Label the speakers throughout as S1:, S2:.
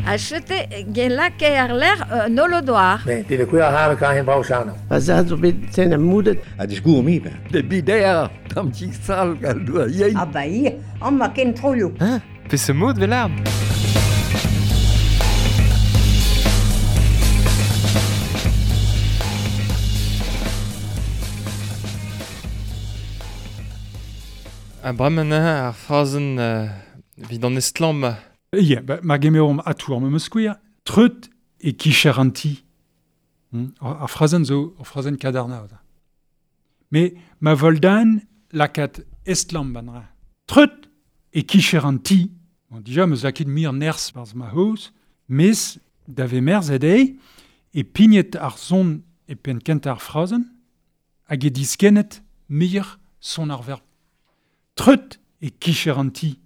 S1: A chete gen lake ar ler nolodoar.
S2: Ne, det er kuer har kan hen brau sano.
S3: Pa za zo bet sen am moudet.
S4: A disgour mi be.
S5: De bider, tam ti sal gal doa yein.
S6: Ah ba ia, an ma ken troioù.
S7: Hein? Pe se mod vel A bremañ ar frazenn vid an estlamm.
S8: Ya, ba, ma gemeomp atour me skouer, treut e kicher an ti. Ar frazenn zo ar frazenn kadarna. Me ma voldan lakat estlamm ban ra. Treut e kicher an ti. Bon, dija meus laket mir nerz barz ma hoz, mes da ve merz ed e pignet ar son e pen kent ar frazenn, hag e diskennet mir son ar verb. Treut e kicher an ti.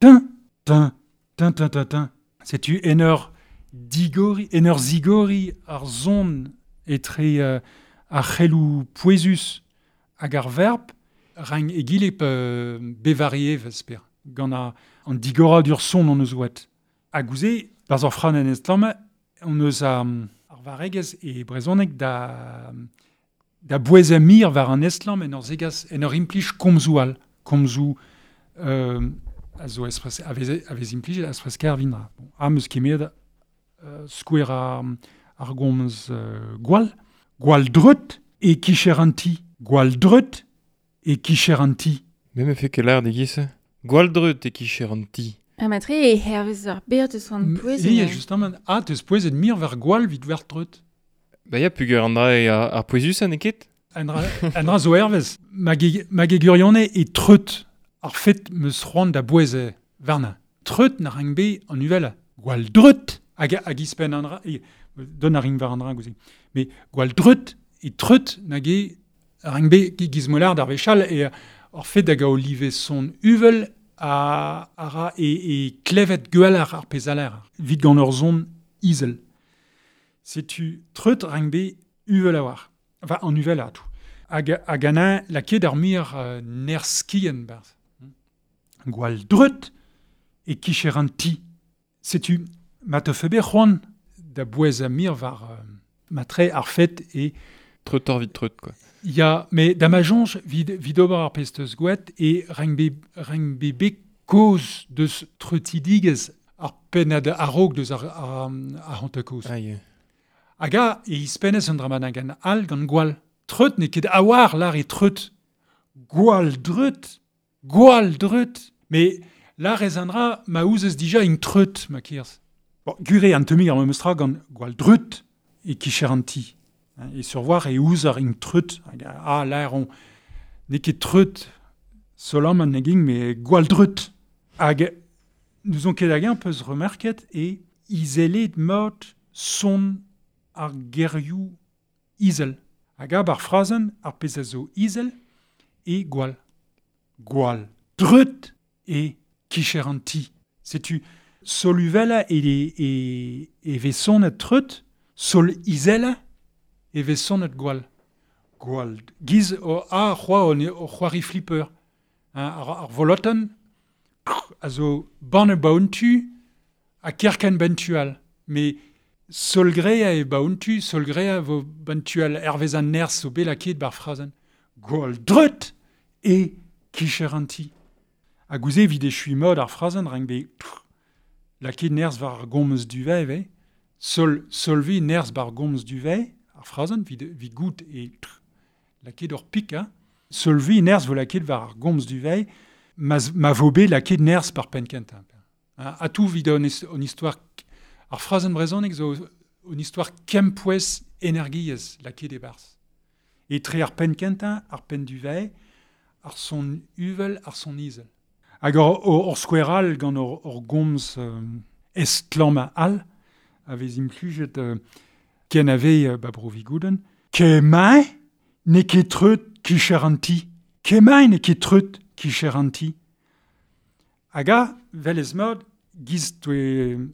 S8: Tin, tin, tin, tin, tin, tin. Setu en ur digori, en ur zigori ar zon etre ar c'helou pouezus hag ar verb, rang egile pe bevarie vesper. Gant an digora dur son on eus oet. Hag ouze, barz ar fran en estlamm, on eus ar varegez e brezhoneg da bouez mir war an estlamm en ur zegas, en ur implij komzou al. Komzou a zo espres, a vez implijet a espres kervindra. Bon, am eus kemet skouer ar gomz gwall. Gwall dreut e kicher an ti. Gwall dreut e kicher an ti.
S7: Me me fe ket l'ar de gise. Gwall dreut e kicher an ti.
S9: Ha matre e hervez ar ber deus an pouezet.
S8: E, justement, a teus pouezet mir ver gwall vid ver dreut.
S7: Ba ya, pugur an dra e ar pouezus an eket?
S8: An dra zo hervez. Mag e gurione e treut ar fet meus c'hoant da bouez varna. Treut na rang be an uvel. Gwall dreut hag ispen an dra... Don a ring var an dra gouze. Mais gwall dreut e treut nag e rang be gizmolar d'ar vechal e ar fet hag a olive son uvel a ra e klevet gwell ar pezaler. Vit gant ur zon izel. Setu treut rang be uvel a war. Enfin, an uvel a tout. Hag an laket ar mir nerskien barz. Gwall dreut e kicher an ti. Setu ma te fe be c'hoant da bouez a mir war matre ar fet e...
S7: Treut ar vid treut, quoi.
S8: Ya, me da ma jonj vid ober ar pesteus gouet e rang be be koz deus treutidigez ar pennad a-raok deus ar hante koz.
S7: Ah, yeah.
S8: Hag a e ispenez an dra gant al gant gwall. Treut n'eo ket awar lar e treut. Gwall dreut. Gwall dreut. Me lar ez an dra ma ouzez dija int treut, ma kirz. Bon, gure an temig ar memeus tra gant gwall dreut e kicher an ti. E survoar e ouz ar int treut. Hag a lar on n'eo ket treut solam an neging, me gwall dreut. Hag nous on ket hag un peus remerket e izelet mort son ar gerioù izel. Hag ab ar frazenn ar pezh a zo izel e gwall. Gwall dreut e kicher an ti. Setu sol uvela e vez sonet treut, sol izela e vez sonet gwall. Gwall. Giz o a c'hoa o c'hoari flipper. Ar volotenn a zo ban e baontu a kerken bentual. Me solgrea e baontu, solgrea vo bantual hervez an nerz o belaket bar frazenn. Gwall dreut e kicher an ti. Hag ouze evit echui mod ar frazenn rang be laket nerz war ar gomz duvet ve. Solvi nerz bar gomz duvet ar frazenn vid gout e laket ur pik, hein. Solvi nerz vo laket war ar gomz duvet ma vo bet laket nerz par pen kentañ. A tout vid an histoire ar frazenn brezhoneg zo un histoire kempouez energiez laket e barz. E tre ar pen kentañ, ar pen duvet, ar son uvel, ar son izel. Hag ur skouer all gant ur gomz estlamm all a vez implijet ken a vez ba bro Vigouden. Kemañ n'eo ket treut kicher an ti. Kemañ n'eo ket treut kicher an ti. Hag a, vel ez mod, giz toe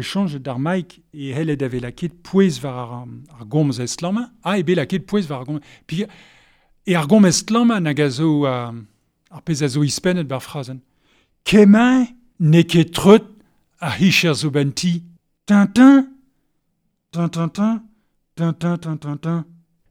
S8: change d'ar maik e hellet ave laket pouez war ar gomz estlamm. A e bet laket pouez war ar gomz. Pi, e ar gomz estlamm nag a zo ar pezh a zo ispennet bar frazenn. Kemañ n'eo ket treut a hicher zo ben ti. Tintin, tin tin tin, tin tin tin tin tin.